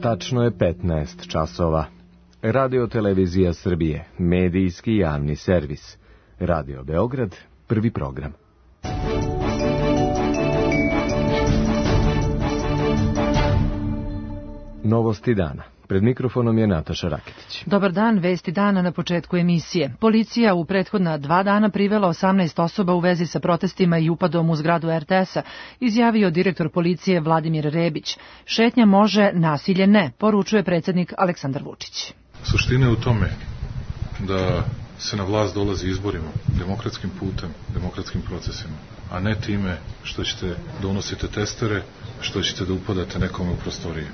Tačno je 15 časova. Radio Televizija Srbije, medijski javni servis. Radio Beograd, prvi program. Novosti dana. Pred mikrofonom je Nataša Raketić. Dobar dan, vesti dana na početku emisije. Policija u prethodna 2 dana privela 18 osoba u vezi sa protestima i upadom u zgradu RTS-a, izjavio direktor policije Vladimir Rebić. Šetnja može, nasilje ne, poručuje predsjednik Aleksandar Vučić. Suština je u tome da se na vlast dolazi izborima, demokratskim putem, demokratskim procesima, a ne time što ćete da unosite testere, što ćete da upadate nekome u prostorije.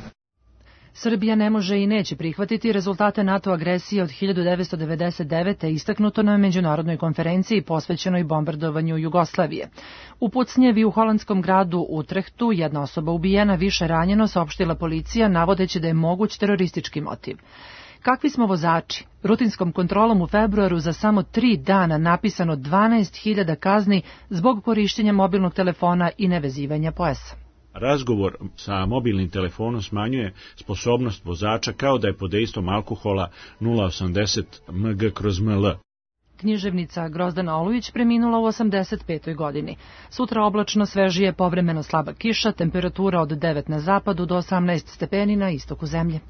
Srbija ne može i neće prihvatiti rezultate NATO agresije od 1999. istaknuto na međunarodnoj konferenciji posvećenoj bombardovanju Jugoslavije. U pucnjevi u holandskom gradu Utrehtu jedna osoba ubijena, više ranjeno, saopštila policija, navodeći da je moguć teroristički motiv. Kakvi smo vozači? Rutinskom kontrolom u februaru za samo 3 dana napisano 12.000 kazni zbog korištenja mobilnog telefona i nevezivanja pojasa. Razgovor sa mobilnim telefonom smanjuje sposobnost vozača kao da je pod dejstvom alkohola 0,80 mg/ml. Književnica Grozdana Olujić preminula u 85. godini. Sutra oblačno, svežije, povremeno slaba kiša, temperatura od 9 na zapadu do 18 stepeni na istoku zemlje.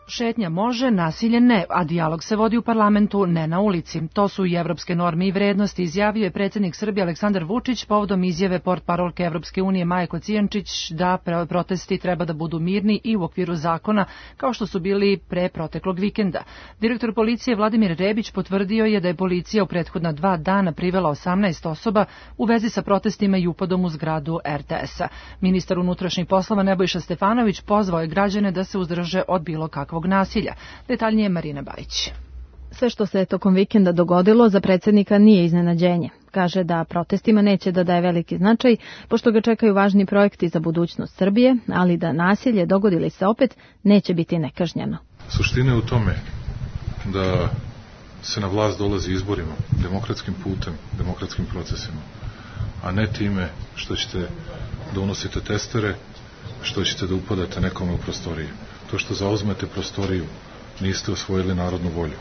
Šetnja može, nasilje ne, a dijalog se vodi u parlamentu, ne na ulici. To su i evropske norme i vrednosti, izjavio je predsjednik Srbije Aleksandar Vučić povodom izjave portparolke Evropske unije Maje Kocijančić da protesti treba da budu mirni i u okviru zakona, kao što su bili pre proteklog vikenda. Direktor policije Vladimir Rebić potvrdio je da je policija u prethodna 2 dana privela 18 osoba u vezi sa protestima i upadom u zgradu RTS-a. Ministar unutrašnjih poslova Nebojša Stefanović pozvao je građane da se uzdrže od bilo kakvog nasilja. Detaljnije Marina Bajić. Sve što se tokom vikenda dogodilo za predsjednika nije iznenađenje. Kaže da protestima neće da daje veliki značaj, pošto ga čekaju važni projekti za budućnost Srbije, ali da nasilje, dogodili se opet, neće biti nekažnjeno. Suština je u tome da se na vlast dolazi izborima, demokratskim putem, demokratskim procesima, a ne time što ćete da unosite testere, što ćete da upadate nekome u prostorije. To što zauzmete prostoriju, niste osvojili narodnu volju.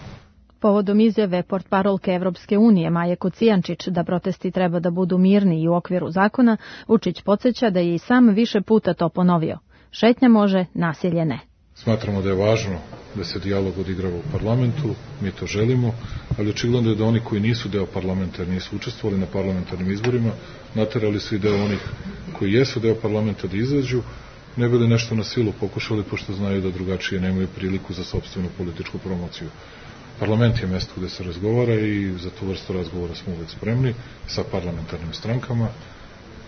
Povodom izjave portparolke Evropske unije Maje Kocijančić da protesti treba da budu mirni i u okviru zakona, Vučić podsjeća da je i sam više puta to ponovio. Šetnja može, nasilje ne. Smatramo da je važno da se dijalog odigrava u parlamentu, mi to želimo, ali očigledno je da oni koji nisu deo parlamenta, jer nisu učestvovali na parlamentarnim izborima, naterali su i deo onih koji jesu deo parlamenta da izađu, ne bili nešto na silu pokušali, pošto znaju da drugačije nemaju priliku za sopstvenu političku promociju. Parlament je mesto gde se razgovara i za tu vrstu razgovora smo uvek spremni sa parlamentarnim strankama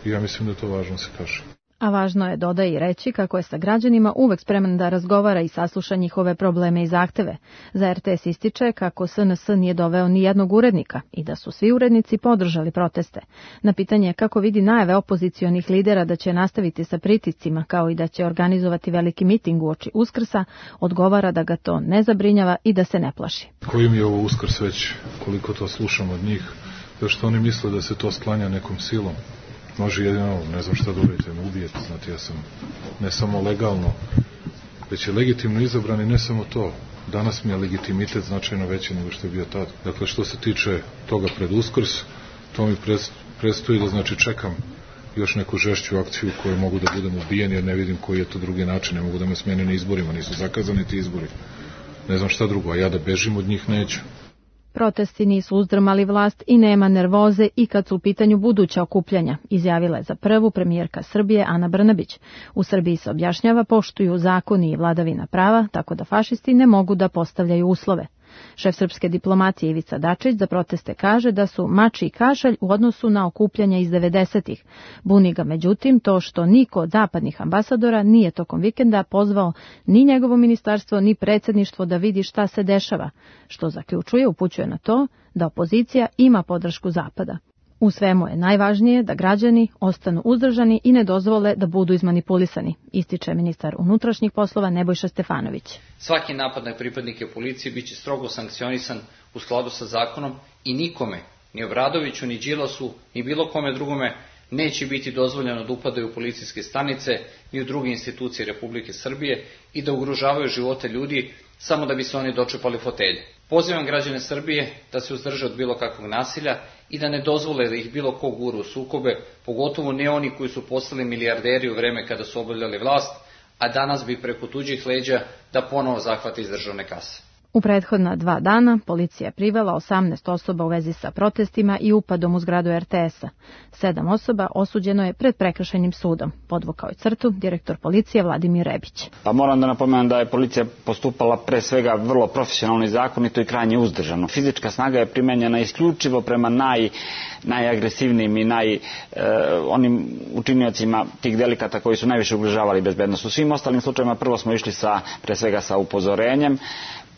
i ja mislim da je to važno da se kaže. A važno je, dodaje i reći, kako je sa građanima uvek spreman da razgovara i sasluša njihove probleme i zahteve. Za RTS ističe kako SNS nije doveo ni jednog urednika i da su svi urednici podržali proteste. Na pitanje kako vidi najave opozicionih lidera da će nastaviti sa pritiscima kao i da će organizovati veliki miting uoči Uskrsa, odgovara da ga to ne zabrinjava i da se ne plaši. Koji mi je ovo Uskrs već, koliko to slušam od njih, zašto oni misle da se to sklanja nekom silom? Može jedino, ne znam šta da uradite, me ubijete, znate, ja sam ne samo legalno, već je legitimno izabran i ne samo to. Danas mi je legitimitet značajno veći nego što je bio tad. Dakle, što se tiče toga pred Uskrs, to mi predstoji da, znači, čekam još neku žešću akciju koju mogu da budem ubijen, jer ne vidim koji je to drugi način, ne mogu da me smene na izborima, nisu zakazani ti izbori. Ne znam šta drugo, a ja da bežim od njih neću. Protesti nisu uzdrmali vlast i nema nervoze i kad su u pitanju buduća okupljanja, izjavila je za prvu premijerka Srbije Ana Brnabić. U Srbiji se objašnjava poštuju zakoni i vladavina prava, tako da fašisti ne mogu da postavljaju uslove. Šef srpske diplomatije Ivica Dačić za proteste kaže da su mač i kašalj u odnosu na okupljanja iz 90-ih. Buni ga međutim to što niko od zapadnih ambasadora nije tokom vikenda pozvao ni njegovo ministarstvo ni predsjedništvo da vidi šta se dešava, što zaključuje, upućuje na to da opozicija ima podršku Zapada. U svemu je najvažnije da građani ostanu uzdržani i ne dozvole da budu izmanipulisani, ističe ministar unutrašnjih poslova Nebojša Stefanović. Svaki napad na pripadnike policije biće strogo sankcionisan u skladu sa zakonom i nikome, ni Obradoviću, ni Đilasu, ni bilo kome drugome, neće biti dozvoljeno da upadaju u policijske stanice i u druge institucije Republike Srbije i da ugrožavaju živote ljudi samo da bi se oni dočepali fotelje. Pozivam građane Srbije da se uzdrže od bilo kakvog nasilja i da ne dozvole da ih bilo ko gura u sukobe, pogotovo ne oni koji su postali milijarderi u vreme kada su obavljali vlast, a danas bi preko tuđih leđa da ponovo zahvate iz državne kase. U prethodna 2 dana policija je privela 18 osoba u vezi sa protestima i upadom u zgradu RTS-a. 7 osoba osuđeno je pred prekršajnim sudom. Podvukao je crtu direktor policije Vladimir Rebić. Pa moram da napomenem da je policija postupala pre svega vrlo profesionalno i zakonito i krajnje uzdržano. Fizička snaga je primenjena isključivo prema najagresivnijim i onim učiniocima tih delikata koji su najviše ugrožavali bezbednost. U svim ostalim slučajevima prvo smo išli pre svega sa upozorenjem,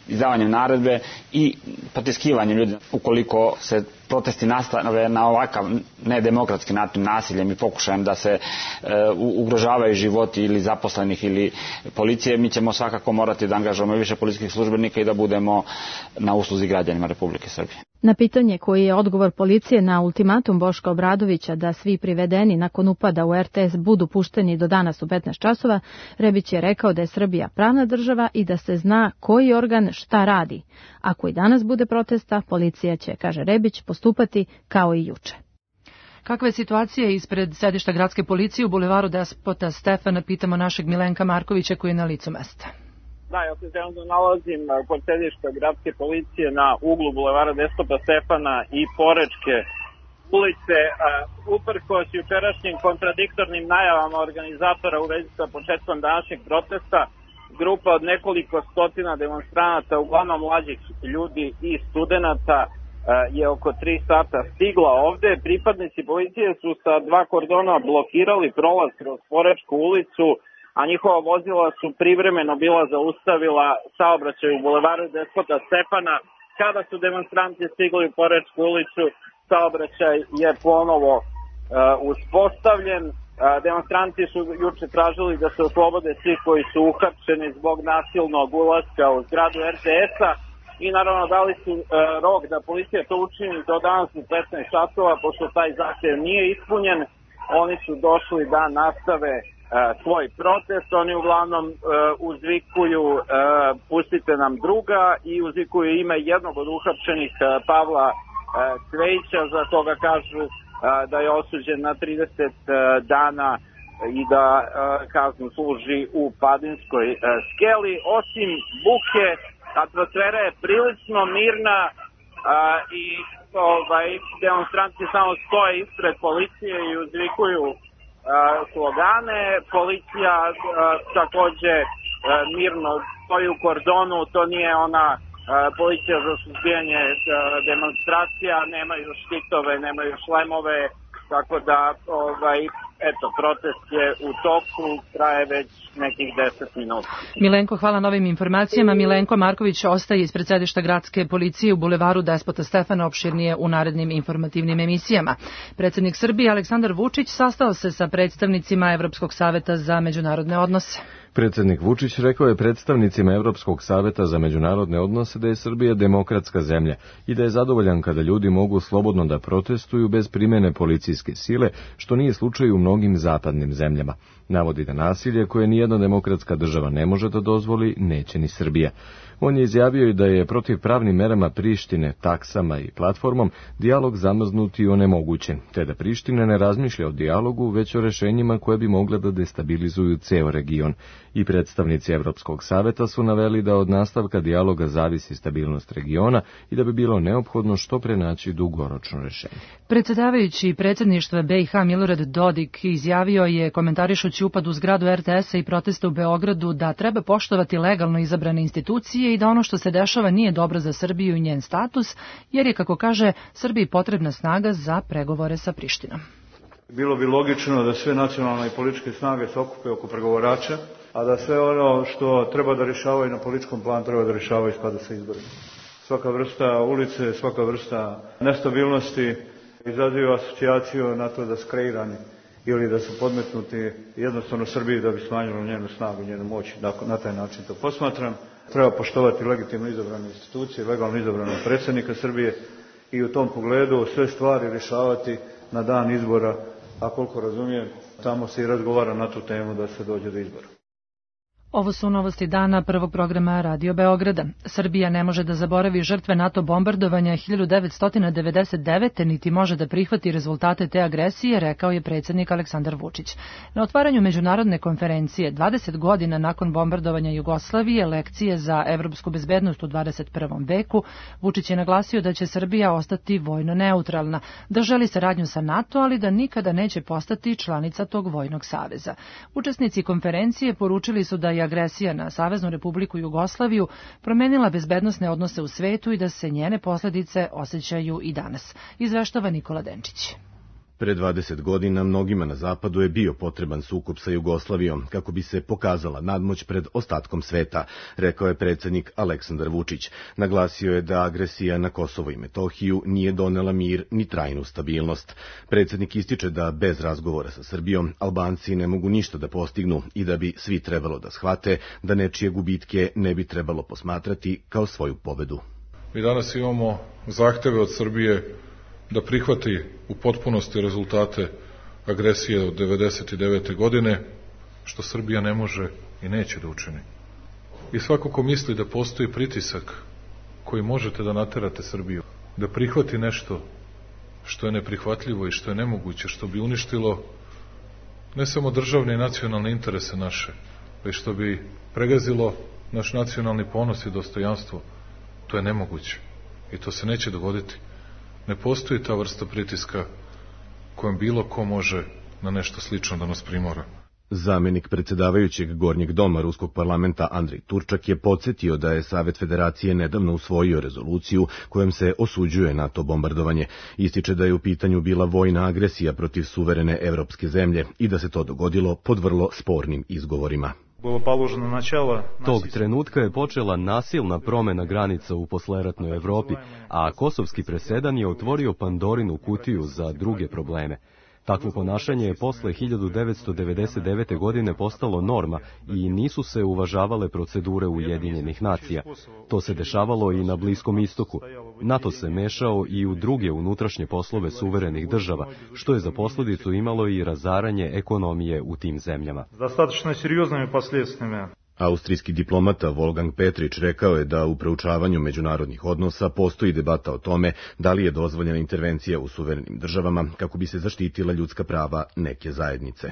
izdavanjem naredbe i potiskivanjem ljudi. Ukoliko se protesti nastave na ovakav nedemokratski način, nasiljem i pokušajem da se ugrožavaju životi ili zaposlenih ili policije, mi ćemo svakako morati da angažujemo više policijskih službenika i da budemo na usluzi građanima Republike Srbije. Na pitanje koji je odgovor policije na ultimatum Boška Obradovića da svi privedeni nakon upada u RTS budu pušteni do danas u 15 časova, Rebić je rekao da je Srbija pravna država i da se zna koji organ šta radi. Ako i danas bude protesta, policija će, kaže Rebić, postupati kao i juče. Kakva je situacija ispred sedišta gradske policije u bulevaru Despota Stefana, pitamo našeg Milenka Markovića koji je na licu mesta. Da, ja se trenutno nalazim kod sedišta gradske policije na uglu bulevara Despota Stefana i Porečke ulice. Uprkos jučerašnjim kontradiktornim najavama organizatora u vezi sa početkom današnjeg protesta, grupa od nekoliko stotina demonstranata, uglavnom mlađih ljudi i studenata, je oko 3 sata stigla ovde. Pripadnici policije su sa 2 kordona blokirali prolaz kroz Porečku ulicu, a njihova vozila su privremeno bila zaustavila saobraćaj u bulevaru Despota Stefana. Kada su demonstranti stigli u Porečku ulicu, saobraćaj je ponovo uspostavljen. Demonstranti su juče tražili da se oslobode svi koji su uhapšeni zbog nasilnog ulaska u zgradu RTS-a i naravno dali su rok da policija to učini do danas u 15 časova, pošto taj zahtev nije ispunjen. Oni su došli da nastave svoj protest. Oni uglavnom uzvikuju pustite nam druga i uzvikuju ime jednog od uhapšenih, Pavla Cvejića, za toga kažu da je osuđen na 30 dana i da kaznu služi u Padinskoj skeli. Osim buke, atmosfera je prilično mirna i demonstranti samo stoje ispred policije i uzvikuju slogane. Policija takođe mirno stoji u kordonu, to nije ona policija za suzbijanje demonstracija, nemaju štitove, nemaju šlemove, tako da protest je u toku, traje već nekih 10 minuta. Milenko, hvala na ovim informacijama. Milenko Marković ostaje ispred sedišta gradske policije u bulevaru Despota Stefana, opširnije u narednim informativnim emisijama. Predsjednik Srbije Aleksandar Vučić sastao se sa predstavnicima Evropskog saveta za međunarodne odnose. Predsjednik Vučić rekao je predstavnicima Evropskog saveta za međunarodne odnose da je Srbija demokratska zemlja i da je zadovoljan kada ljudi mogu slobodno da protestuju bez primjene policijske sile, što nije slučaj u mnogim zapadnim zemljama. Navodi da nasilje koje nijedna demokratska država ne može da dozvoli, neće ni Srbija. On je izjavio i da je protiv pravnim merama Prištine, taksama i platformom dijalog zamrznut i onemogućen, te da Priština ne razmišlja o dijalogu, već o rešenjima koje bi mogle da destabilizuju ceo region. I predstavnici Evropskog saveta su naveli da od nastavka dijaloga zavisi stabilnost regiona i da bi bilo neophodno što pre naći dugoročno rešenje. Predsjedavajući predsjedništva BiH Milorad Dodik izjavio je, komentarišući upad u zgradu RTS-a i proteste u Beogradu, da treba poštovati legalno izabrane institucije i da ono što se dešava nije dobro za Srbiju i njen status, jer je, kako kaže, Srbiji potrebna snaga za pregovore sa Prištinom. Bilo bi logično da sve nacionalne i političke snage se okupe oko pregovarača, a da sve ono što treba da rješavaju na političkom planu treba da rješavaju kada se izborima. Svaka vrsta ulice, svaka vrsta nestabilnosti izaziva asocijaciju na to da su kreirani ili da su podmetnuti jednostavno Srbiji da bi smanjilo njenu snagu, njenu moć. Na taj način to posmatram. Treba poštovati legitimno izabrane institucije, legalno izabranog predsjednika Srbije i u tom pogledu sve stvari rješavati na dan izbora a koliko razumijem, tamo se i razgovara na tu temu da se dođe do izbora. Ovo su novosti dana prvog programa Radio Beograda. Srbija ne može da zaboravi žrtve NATO bombardovanja 1999. niti može da prihvati rezultate te agresije, rekao je predsjednik Aleksandar Vučić. Na otvaranju međunarodne konferencije 20 godina nakon bombardovanja Jugoslavije, lekcije za evropsku bezbednost u 21. veku, Vučić je naglasio da će Srbija ostati vojno neutralna, da želi saradnju sa NATO, ali da nikada neće postati članica tog vojnog saveza. Učesnici konferencije poručili su da je agresija na Saveznu Republiku Jugoslaviju promenila bezbednosne odnose u svetu i da se njene posljedice osjećaju i danas. Izveštava Nikola Denčić. Pre 20 godina mnogima na zapadu je bio potreban sukob sa Jugoslavijom kako bi se pokazala nadmoć pred ostatkom sveta, rekao je predsjednik Aleksandar Vučić. Naglasio je da agresija na Kosovo i Metohiju nije donela mir ni trajnu stabilnost. Predsjednik ističe da bez razgovora sa Srbijom Albanci ne mogu ništa da postignu i da bi svi trebalo da shvate da nečije gubitke ne bi trebalo posmatrati kao svoju pobedu. Mi danas imamo zahteve od Srbije da prihvati u potpunosti rezultate agresije od 1999. godine, što Srbija ne može i neće da učini. I svako ko misli da postoji pritisak koji možete da naterate Srbiju, da prihvati nešto što je neprihvatljivo i što je nemoguće, što bi uništilo ne samo državne i nacionalne interese naše, već što bi pregazilo naš nacionalni ponos i dostojanstvo, to je nemoguće i to se neće dogoditi. Ne postoji ta vrsta pritiska kojem bilo ko može na nešto slično da nas primora. Zamenik predsjedavajućeg Gornjeg doma Ruskog parlamenta Andrej Turčak je podsjetio da je Savet Federacije nedavno usvojio rezoluciju kojom se osuđuje NATO bombardovanje. Ističe da je u pitanju bila vojna agresija protiv suverene evropske zemlje i da se to dogodilo pod vrlo spornim izgovorima. Tog trenutka je počela nasilna promjena granica u posleratnoj Evropi, a kosovski presedan je otvorio Pandorinu kutiju za druge probleme. Takvo ponašanje je posle 1999. godine postalo norma i nisu se uvažavale procedure Ujedinjenih nacija. To se dešavalo i na Bliskom istoku. NATO se mešao i u druge unutrašnje poslove suverenih država, što je za posljedicu imalo i razaranje ekonomije u tim zemljama. Достаточно серьезными последствиями. Austrijski diplomata Wolfgang Petrić rekao je da u proučavanju međunarodnih odnosa postoji debata o tome da li je dozvoljena intervencija u suverenim državama kako bi se zaštitila ljudska prava neke zajednice.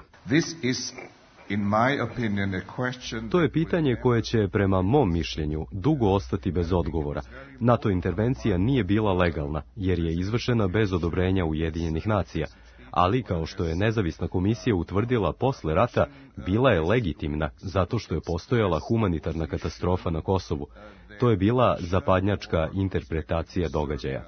To je pitanje koje će, prema mom mišljenju, dugo ostati bez odgovora. NATO intervencija nije bila legalna, jer je izvršena bez odobrenja Ujedinjenih nacija. Ali, kao što je nezavisna komisija utvrdila posle rata, bila je legitimna zato što je postojala humanitarna katastrofa na Kosovu. To je bila zapadnjačka interpretacija događaja.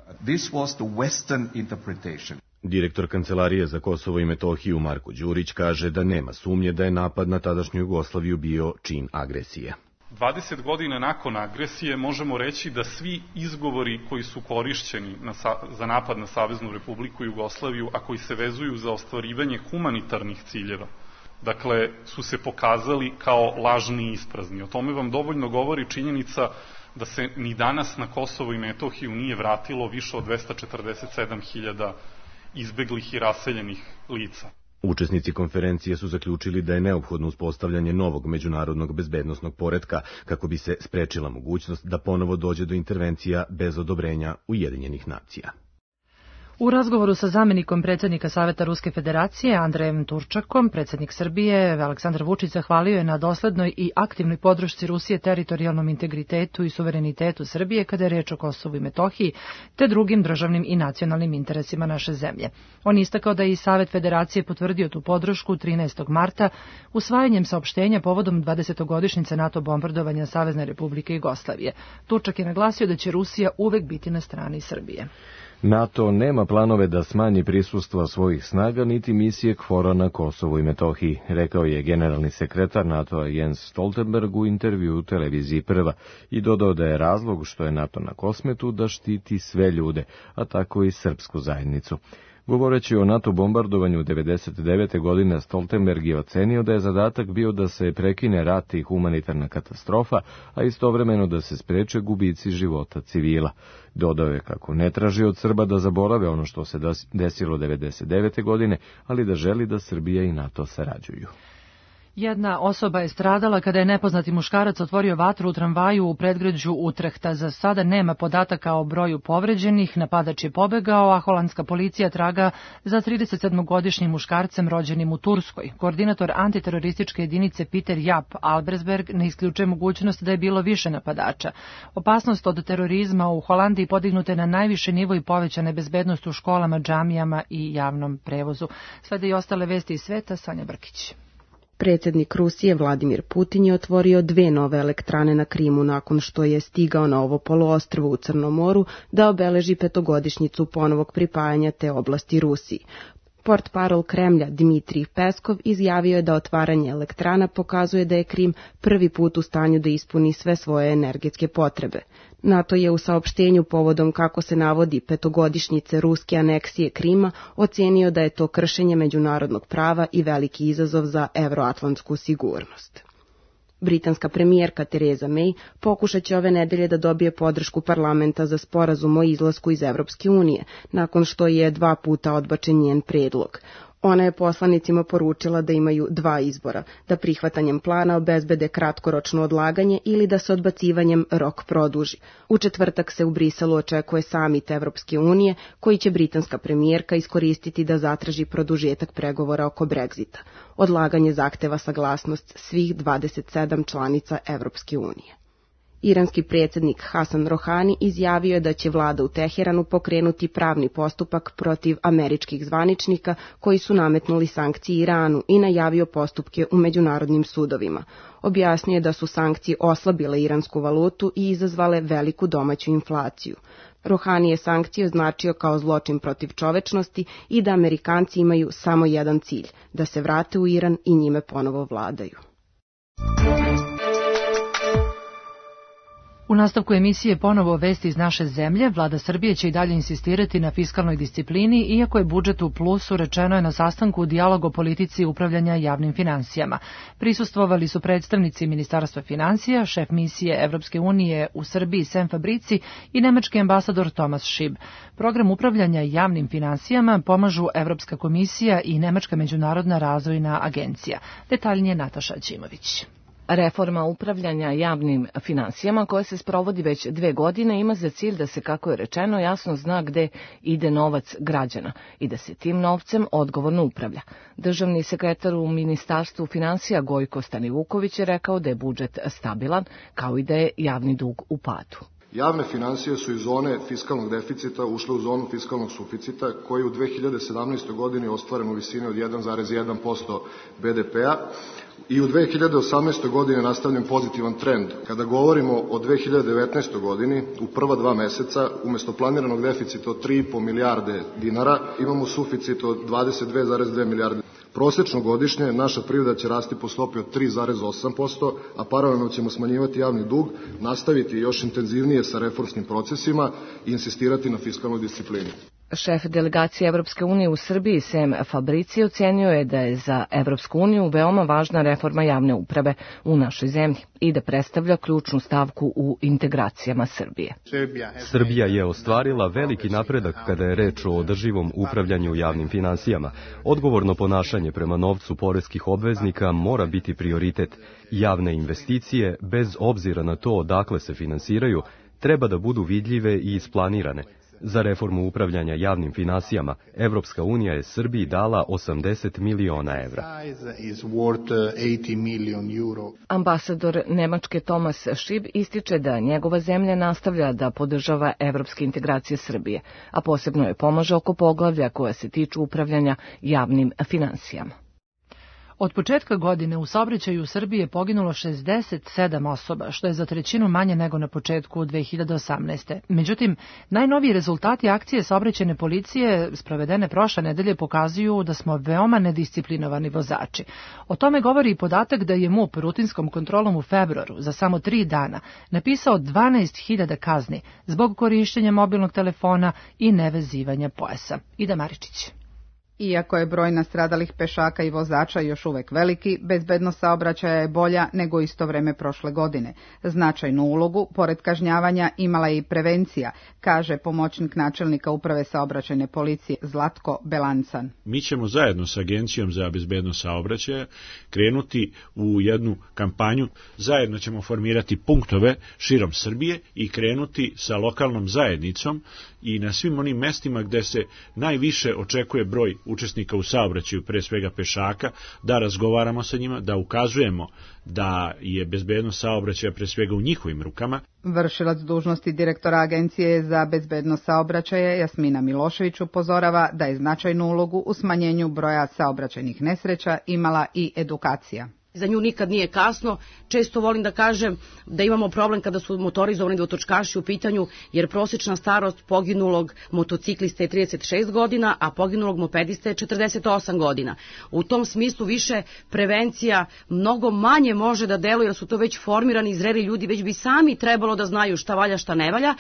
Direktor Kancelarije za Kosovo i Metohiju Marko Đurić kaže da nema sumnje da je napad na tadašnju Jugoslaviju bio čin agresije. 20 godina nakon agresije možemo reći da svi izgovori koji su korišćeni za napad na Saveznu Republiku Jugoslaviju, a koji se vezuju za ostvarivanje humanitarnih ciljeva, dakle, su se pokazali kao lažni i isprazni. O tome vam dovoljno govori činjenica da se ni danas na Kosovo i Metohiju nije vratilo više od 247.000 izbeglih i raseljenih lica. Učesnici konferencije su zaključili da je neophodno uspostavljanje novog međunarodnog bezbednosnog poretka kako bi se sprečila mogućnost da ponovo dođe do intervencija bez odobrenja Ujedinjenih nacija. U razgovoru sa zamenikom predsjednika Saveta Ruske federacije Andrejem Turčakom, predsjednik Srbije Aleksandar Vučić zahvalio je na doslednoj i aktivnoj podršci Rusije teritorijalnom integritetu i suverenitetu Srbije kada je reč o Kosovu i Metohiji, te drugim državnim i nacionalnim interesima naše zemlje. On istakao da je i Savet federacije potvrdio tu podršku 13. marta usvajanjem saopštenja povodom 20-godišnjice NATO bombardovanja Savezne Republike Jugoslavije. Turčak je naglasio da će Rusija uvek biti na strani Srbije. NATO nema planove da smanji prisustvo svojih snaga niti misije KFOR-a na Kosovu i Metohiji, rekao je generalni sekretar NATO-a Jens Stoltenberg u intervju u televiziji Prva i dodao da je razlog što je NATO na Kosmetu da štiti sve ljude, a tako i srpsku zajednicu. Govoreći o NATO bombardovanju 1999. godine, Stoltenberg je ocenio da je zadatak bio da se prekine rat i humanitarna katastrofa, a istovremeno da se spreče gubici života civila. Dodao je kako ne traži od Srba da zaborave ono što se desilo 1999. godine, ali da želi da Srbija i NATO sarađuju. Jedna osoba je stradala kada je nepoznati muškarac otvorio vatru u tramvaju u predgrađu Utrehta. Za sada nema podataka o broju povređenih, napadač je pobegao, a holandska policija traga za 37-godišnjim muškarcem rođenim u Turskoj. Koordinator antiterorističke jedinice Peter Jaap Albersberg ne isključuje mogućnost da je bilo više napadača. Opasnost od terorizma u Holandiji podignuta je na najviše nivo i povećana bezbednost u školama, džamijama i javnom prevozu. Slede i ostale vesti iz sveta, Sanja Brkić. Predsjednik Rusije Vladimir Putin je otvorio 2 nove elektrane na Krimu nakon što je stigao na ovo poluostrvo u Crnom moru da obeleži 5-godišnjicu ponovog pripajanja te oblasti Rusiji. Portparol Kremlja Dmitrij Peskov izjavio je da otvaranje elektrana pokazuje da je Krim prvi put u stanju da ispuni sve svoje energetske potrebe. NATO je u saopštenju povodom, kako se navodi, 5-godišnjice ruske aneksije Krima ocenio da je to kršenje međunarodnog prava i veliki izazov za evroatlantsku sigurnost. Britanska premijerka Theresa May pokušat će ove nedelje da dobije podršku parlamenta za sporazum o izlasku iz Evropske unije, nakon što je 2 puta odbačen njen predlog. Ona je poslanicima poručila da imaju 2 izbora, da prihvatanjem plana obezbede kratkoročno odlaganje ili da se odbacivanjem rok produži. U četvrtak se u Briselu očekuje samit Evropske unije, koji će britanska premijerka iskoristiti da zatraži produžetak pregovora oko Brexita. Odlaganje zahteva saglasnost svih 27 članica Evropske unije. Iranski predsjednik Hasan Rohani izjavio je da će vlada u Teheranu pokrenuti pravni postupak protiv američkih zvaničnika koji su nametnuli sankcije Iranu i najavio postupke u međunarodnim sudovima. Objasnio je da su sankcije oslabile iransku valutu i izazvale veliku domaću inflaciju. Rohani je sankcije označio kao zločin protiv čovečnosti i da Amerikanci imaju samo jedan cilj, da se vrate u Iran i njime ponovo vladaju. U nastavku emisije ponovo vesti iz naše zemlje. Vlada Srbije će i dalje insistirati na fiskalnoj disciplini, iako je budžet u plusu, rečeno je na sastanku Dijalog o politici upravljanja javnim finansijama. Prisustvovali su predstavnici Ministarstva finansija, šef misije Evropske unije u Srbiji Sam Fabrici i nemački ambasador Thomas Schieb. Program upravljanja javnim finansijama pomažu Evropska komisija i Nemačka međunarodna razvojna agencija. Detaljnije Nataša Ćimović. Reforma upravljanja javnim finansijama koja se sprovodi već 2 godine ima za cilj da se, kako je rečeno, jasno zna gde ide novac građana i da se tim novcem odgovorno upravlja. Državni sekretar u Ministarstvu finansija Gojko Stanivuković je rekao da je budžet stabilan, kao i da je javni dug u padu. Javne finansije su iz zone fiskalnog deficita ušle u zonu fiskalnog suficita koji u 2017. godini ostvaren u visini od 1,1% BDP-a i u 2018. godini nastavljen pozitivan trend. Kada govorimo o 2019. godini, u prva 2 meseca, umesto planiranog deficita od 3,5 milijarde dinara, imamo suficit od 22,2 milijarde. Prosečno godišnje naša privreda će rasti po stopi od 3,8%, a paralelno ćemo smanjivati javni dug, nastaviti još intenzivnije sa reformskim procesima i insistirati na fiskalnoj disciplini. Šef delegacije Evropske unije u Srbiji Sam Fabrici ocenio je da je za Evropsku uniju veoma važna reforma javne uprave u našoj zemlji i da predstavlja ključnu stavku u integracijama Srbije. Srbija je ostvarila veliki napredak kada je reč o održivom upravljanju javnim finansijama. Odgovorno ponašanje prema novcu poreskih obveznika mora biti prioritet. Javne investicije, bez obzira na to odakle se finansiraju, treba da budu vidljive i isplanirane. Za reformu upravljanja javnim finansijama, Evropska unija je Srbiji dala 80 miliona evra. Ambasador Nemačke Thomas Schieb ističe da njegova zemlja nastavlja da podržava evropske integracije Srbije, a posebno je pomaže oko poglavlja koja se tiču upravljanja javnim finansijama. Od početka godine u saobraćaju u Srbiji je poginulo 67 osoba, što je za 1/3 manje nego na početku 2018. Međutim, najnoviji rezultati akcije saobraćajne policije sprovedene prošle nedelje pokazuju da smo veoma nedisciplinovani vozači. O tome govori i podatak da je MUP rutinskom kontrolom u februaru za samo 3 dana napisao 12.000 kazni zbog korišćenja mobilnog telefona i nevezivanja pojasa. Ida Maričić. Iako je broj nastradalih pešaka i vozača još uvek veliki, bezbednost saobraćaja je bolja nego isto vreme prošle godine. Značajnu ulogu, pored kažnjavanja, imala je i prevencija, kaže pomoćnik načelnika Uprave saobraćajne policije Zlatko Belancan. Mi ćemo zajedno sa Agencijom za bezbednost saobraćaja krenuti u jednu kampanju. Zajedno ćemo formirati punktove širom Srbije i krenuti sa lokalnom zajednicom i na svim onim mestima gde se najviše očekuje broj učesnika u saobraćaju, pre svega pešaka, da razgovaramo sa njima, da ukazujemo da je bezbednost saobraćaja pre svega u njihovim rukama. Vršilac dužnosti direktora Agencije za bezbednost saobraćaja Jasmina Milošević upozorava da je značajnu ulogu u smanjenju broja saobraćajnih nesreća imala i edukacija. Za nju nikad nije kasno. Često volim da kažem da imamo problem kada su motorizovani dvotočkaši u pitanju, jer prosječna starost poginulog motociklista je 36 godina, a poginulog mopedista je 48 godina. U tom smislu više prevencija mnogo manje može da deluje, jer su to već formirani, zreli ljudi, već bi sami trebalo da znaju šta valja, šta ne valja.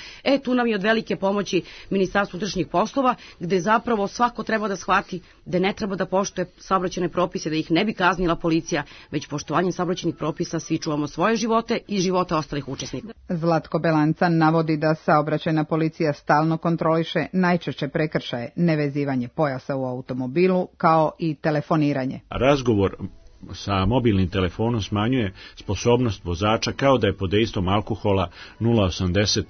Tu nam je od velike pomoći Ministarstvo unutrašnjih poslova, gde zapravo svako treba da shvati da ne treba da poštuje saobraćajne propise, da ih ne bi kaznila policija, već poštovanjem saobraćajnih propisa svi čuvamo svoje živote i živote ostalih učesnika. Zlatko Belancan navodi da saobraćajna policija stalno kontroliše najčešće prekršaje, nevezivanje pojasa u automobilu, kao i telefoniranje. Razgovor sa mobilnim telefonom smanjuje sposobnost vozača kao da je pod dejstvom alkohola 0,80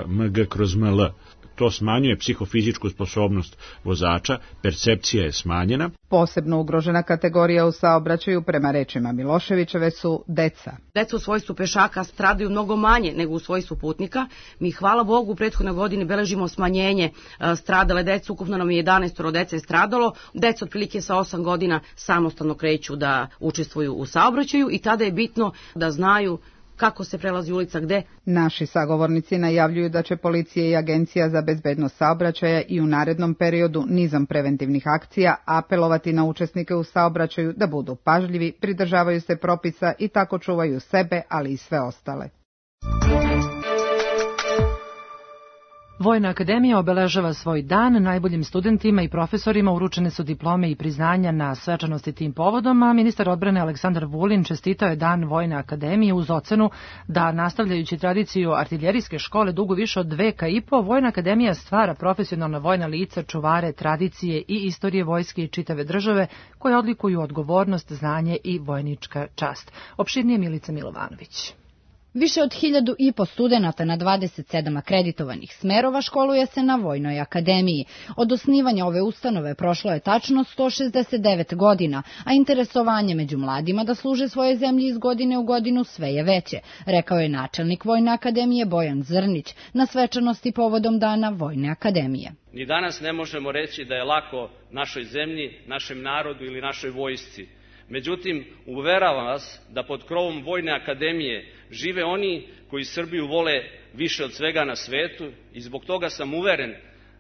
mg/ml. To smanjuje psihofizičku sposobnost vozača, percepcija je smanjena. Posebno ugrožena kategorija u saobraćaju, prema rečima Miloševićeve, su deca. Deca u svojstvu pešaka stradaju mnogo manje nego u svojstvu putnika. Mi, hvala Bogu, u prethodnoj godini beležimo smanjenje stradale dece, ukupno nam je 11 dece stradalo. Deca otprilike sa 8 godina samostalno kreću da učestvuju u saobraćaju i tada je bitno da znaju kako se prelazi ulica gde. Naši sagovornici najavljuju da će policija i Agencija za bezbednost saobraćaja i u narednom periodu nizom preventivnih akcija apelovati na učesnike u saobraćaju da budu pažljivi, pridržavaju se propisa i tako čuvaju sebe, ali i sve ostale. Vojna akademija obeležava svoj dan, najboljim studentima i profesorima uručene su diplome i priznanja na svečanosti tim povodom, a ministar odbrane Aleksandar Vulin čestitao je dan Vojne akademije uz ocenu da, nastavljajući tradiciju artiljerijske škole dugo više od veka i po, Vojna akademija stvara profesionalna vojna lica, čuvare tradicije i istorije vojske i čitave države koje odlikuju odgovornost, znanje i vojnička čast. Opširnije Milica Milovanović. Više od 1.500 studenata na 27 akreditovanih smerova školuje se na Vojnoj akademiji. Od osnivanja ove ustanove prošlo je tačno 169 godina, a interesovanje među mladima da služe svoje zemlji iz godine u godinu sve je veće, rekao je načelnik Vojne akademije Bojan Zrnić na svečanosti povodom dana Vojne akademije. Ni danas ne možemo reći da je lako našoj zemlji, našem narodu ili našoj vojsci. Međutim, uveravam vas da pod krovom Vojne akademije žive oni koji Srbiju vole više od svega na svetu i zbog toga sam uveren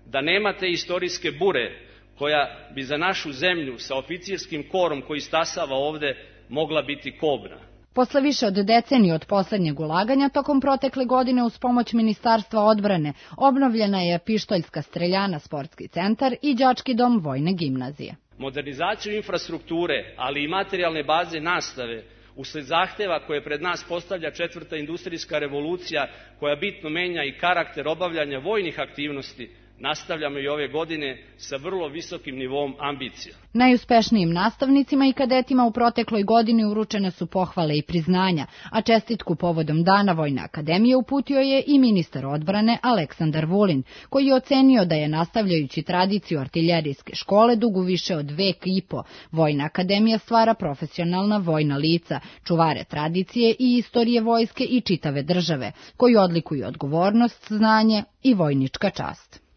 da nema te istorijske bure koja bi za našu zemlju sa oficirskim korom koji stasava ovde mogla biti kobna. Posle više od decenije od poslednjeg ulaganja, tokom protekle godine uz pomoć Ministarstva odbrane obnovljena je Pištoljska streljana sportski centar i đački dom Vojne gimnazije. Modernizaciju infrastrukture, ali i materijalne baze nastave, usled zahteva koje pred nas postavlja 4. industrijska revolucija, koja bitno menja i karakter obavljanja vojnih aktivnosti, nastavljamo i ove godine sa vrlo visokim nivom ambicija. Najuspešnijim nastavnicima i kadetima u protekloj godini uručene su pohvale i priznanja, a čestitku povodom dana Vojne akademije uputio je i ministar odbrane Aleksandar Vulin, koji je ocenio da je, nastavljajući tradiciju artiljerijske škole dugu više od vek i po, Vojna akademija stvara profesionalna vojna lica, čuvare tradicije i istorije vojske i čitave države, koji odlikuju odgovornost, znanje i vojnička čast.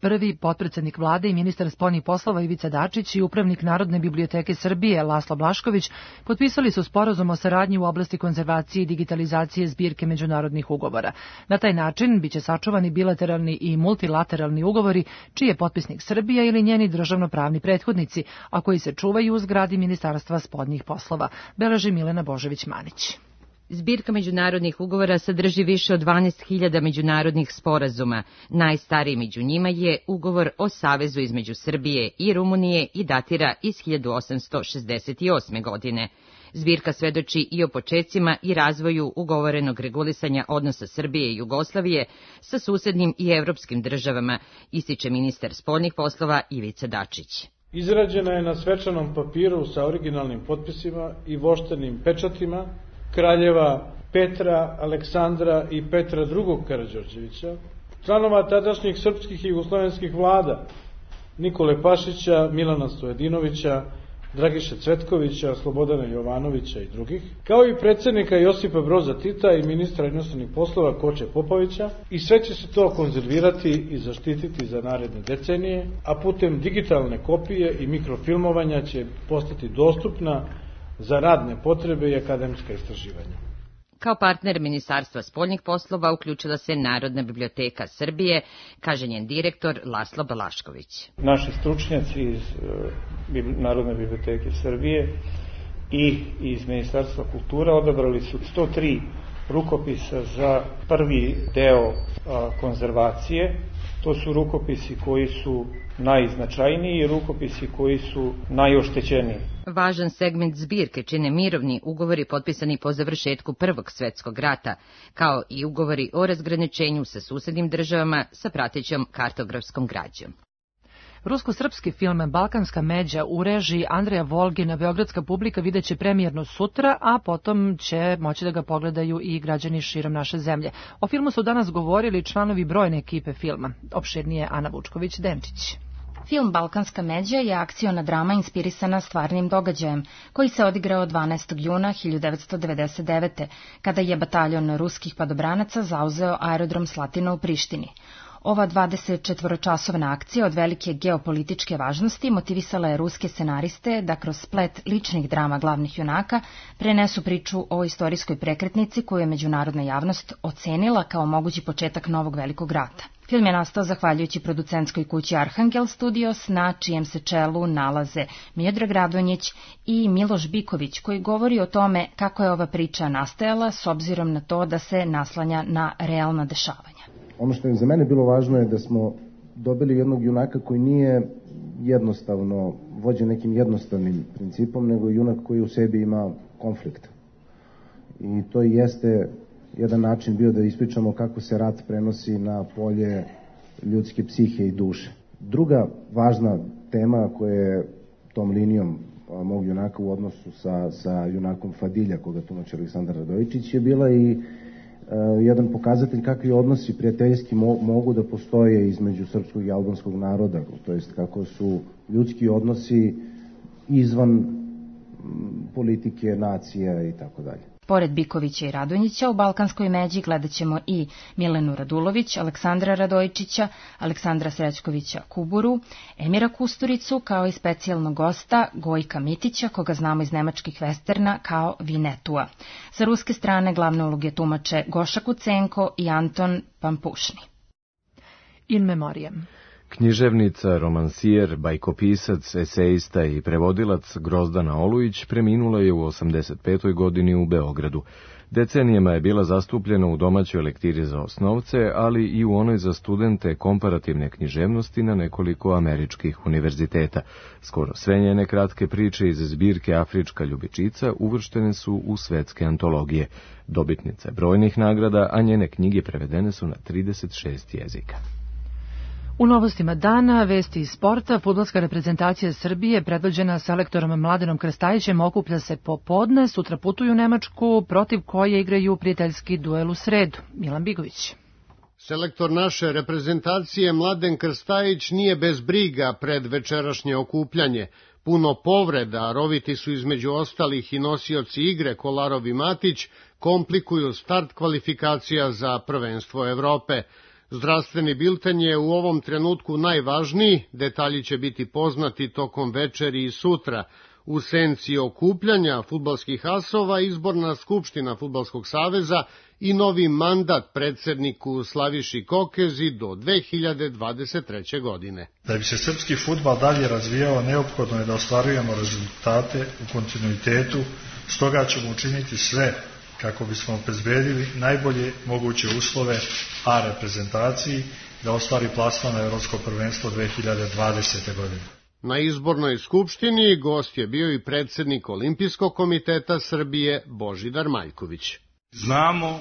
Prvi potpredsednik vlade i ministar spoljnih poslova Ivica Dačić i upravnik Narodne biblioteke Srbije Laslo Blašković potpisali su sporazum o saradnji u oblasti konzervacije i digitalizacije zbirke međunarodnih ugovora. Na taj način biće sačuvani bilateralni i multilateralni ugovori čiji je potpisnik Srbija ili njeni državnopravni prethodnici, a koji se čuvaju u zgradi Ministarstva spoljnih poslova, beleži Milena Božević-Manić. Zbirka međunarodnih ugovora sadrži više od 12.000 međunarodnih sporazuma. Najstariji među njima je ugovor o savezu između Srbije i Rumunije i datira iz 1868. godine. Zbirka svedoči i o počecima i razvoju ugovorenog regulisanja odnosa Srbije i Jugoslavije sa susednim i evropskim državama, ističe ministar spoljnih poslova Ivica Dačić. Izrađena je na svečanom papiru sa originalnim potpisima i voštanim pečatima kraljeva Petra, Aleksandra i Petra II. Karađorđevića, članova tadašnjih srpskih i jugoslovenskih vlada Nikole Pašića, Milana Stojadinovića, Dragiše Cvetkovića, Slobodana Jovanovića i drugih, kao i predsjednika Josipa Broza Tita i ministra inostranih poslova Koče Popovića, i sve će se to konzervirati i zaštititi za naredne decenije, a putem digitalne kopije i mikrofilmovanja će postati dostupna za radne potrebe i akademska istraživanja. Kao partner Ministarstva spoljnih poslova uključila se Narodna biblioteka Srbije, kaže njen direktor Laslo Balašković. Naši stručnjaci iz Narodne biblioteke Srbije i iz Ministarstva kultura odabrali su 103 rukopisa za prvi deo konzervacije. To su rukopisi koji su najznačajniji i rukopisi koji su najoštećeniji. Važan segment zbirke čine mirovni ugovori potpisani po završetku Prvog svjetskog rata, kao i ugovori o razgraničenju sa susednim državama sa pratećom kartografskom građom. Rusko-srpski film Balkanska međa u režiji Andreja Volgina beogradska publika videće premijerno sutra, a potom će moći da ga pogledaju i građani širom naše zemlje. O filmu su danas govorili članovi brojne ekipe filma. Opširnije Ana Vučković-Denčić. Film Balkanska međa je akciona drama inspirisana stvarnim događajem, koji se odigrao 12. juna 1999. kada je bataljon ruskih padobranaca zauzeo aerodrom Slatina u Prištini. Ova 24-časovna akcija od velike geopolitičke važnosti motivisala je ruske scenariste da kroz splet ličnih drama glavnih junaka prenesu priču o istorijskoj prekretnici koju je međunarodna javnost ocenila kao mogući početak novog velikog rata. Film je nastao zahvaljujući producentskoj kući Arhangel Studios, na čijem se čelu nalaze Miodrag Radonjić i Miloš Biković, koji govori o tome kako je ova priča nastajala s obzirom na to da se naslanja na realna dešavanja. Ono što je za mene bilo važno je da smo dobili jednog junaka koji nije jednostavno vođen nekim jednostavnim principom, nego junak koji u sebi ima konflikt. I to jeste jedan način bio da ispričamo kako se rat prenosi na polje ljudske psihe i duše. Druga važna tema koja je tom linijom mog junaka u odnosu sa junakom Fadilja, koga tumači Aleksandar Radojičić, je bila i jedan pokazatelj kakvi odnosi prijateljski mogu da postoje između srpskog i albanskog naroda, to jest kako su ljudski odnosi izvan politike, nacija i tako dalje. Pored Bikovića i Radonjića, u Balkanskoj međi gledat ćemo i Milenu Radulović, Aleksandra Radojičića, Aleksandra Srećkovića Kuburu, Emira Kusturicu, kao i specijalnog gosta Gojka Mitića, koga znamo iz nemačkih westerna kao Vinetua. Sa ruske strane glavne uloge tumače Goša Kucenko i Anton Pampušni. In memoriam. Književnica, romansijer, bajkopisac, esejista i prevodilac Grozdana Olujić preminula je u 85. godini u Beogradu. Decenijama je bila zastupljena u domaćoj lektiri za osnovce, ali i u onoj za studente komparativne književnosti na nekoliko američkih univerziteta. Skoro sve njene kratke priče iz zbirke Afrička ljubičica uvrštene su u svetske antologije. Dobitnica je brojnih nagrada, a njene knjige prevedene su na 36 jezika. U novostima dana, vesti iz sporta, fudbalska reprezentacija Srbije, predvođena selektorom Mladenom Krstajićem, okuplja se popodne, sutra putuju u Nemačku, protiv koje igraju prijateljski duel u sredu. Milan Bigović. Selektor naše reprezentacije Mladen Krstajić nije bez briga pred večerašnje okupljanje. Puno povreda, roviti su između ostalih i nosioci igre Kolarov i Matić, komplikuju start kvalifikacija za prvenstvo Evrope. Zdravstveni bilten je u ovom trenutku najvažniji, detalji će biti poznati tokom večeri i sutra. U senci okupljanja fudbalskih asova izborna skupština Fudbalskog saveza i novi mandat predsjedniku Slaviši Kokezi do 2023. godine. Da bi se srpski fudbal dalje razvijao, neophodno je da ostvarujemo rezultate u kontinuitetu, stoga ćemo učiniti sve kako bismo obezbedili najbolje moguće uslove A reprezentaciji da ostvari plasman na Evropsko prvenstvo 2020. godine. Na izbornoj skupštini gost je bio i predsjednik Olimpijskog komiteta Srbije Božidar Maljković. Znamo,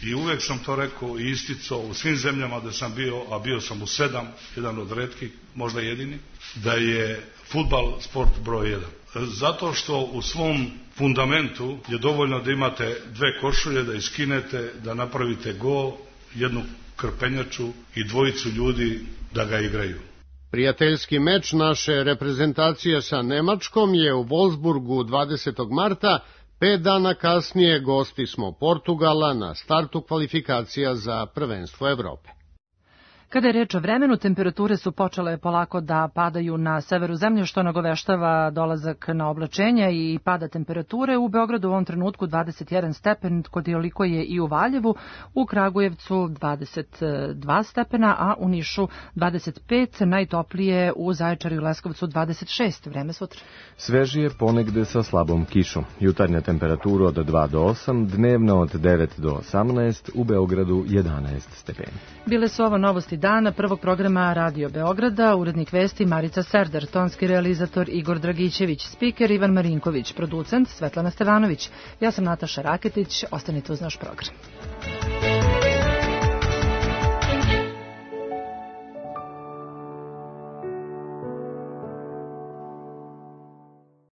i uvek sam to rekao i isticao u svim zemljama da sam bio, a bio sam u 7, jedan od retkih, možda jedini, da je fudbal sport broj 1. Zato što u svom fundamentu je dovoljno da imate 2 košulje, da iskinete, da napravite gol, jednu krpenjaču i 2 ljudi da ga igraju. Prijateljski meč naše reprezentacije sa Nemačkom je u Wolfsburgu 20. marta, 5 dana kasnije gosti smo Portugala na startu kvalifikacija za prvenstvo Evrope. Kada je reč o vremenu, temperature su počele polako da padaju na severu zemlje, što nagoveštava dolazak na oblačenja i pada temperature. U Beogradu u ovom trenutku 21 stepen, koliko je i u Valjevu, u Kragujevcu 22 stepena, a u Nišu 25, najtoplije u Zaječaru i Leskovcu 26. Vreme sutra. Svežije ponegde sa slabom kišom. Jutarnja temperatura od 2 do 8, dnevna od 9 do 18, u Beogradu 11 stepeni. Bile su ovo novosti dana prvog programa Radio Beograda, urednik vesti Marica Serdar, tonski realizator Igor Dragićević, spiker Ivan Marinković, producent Svetlana Stevanović. Ja sam Nataša Raketić, ostanite uz naš program.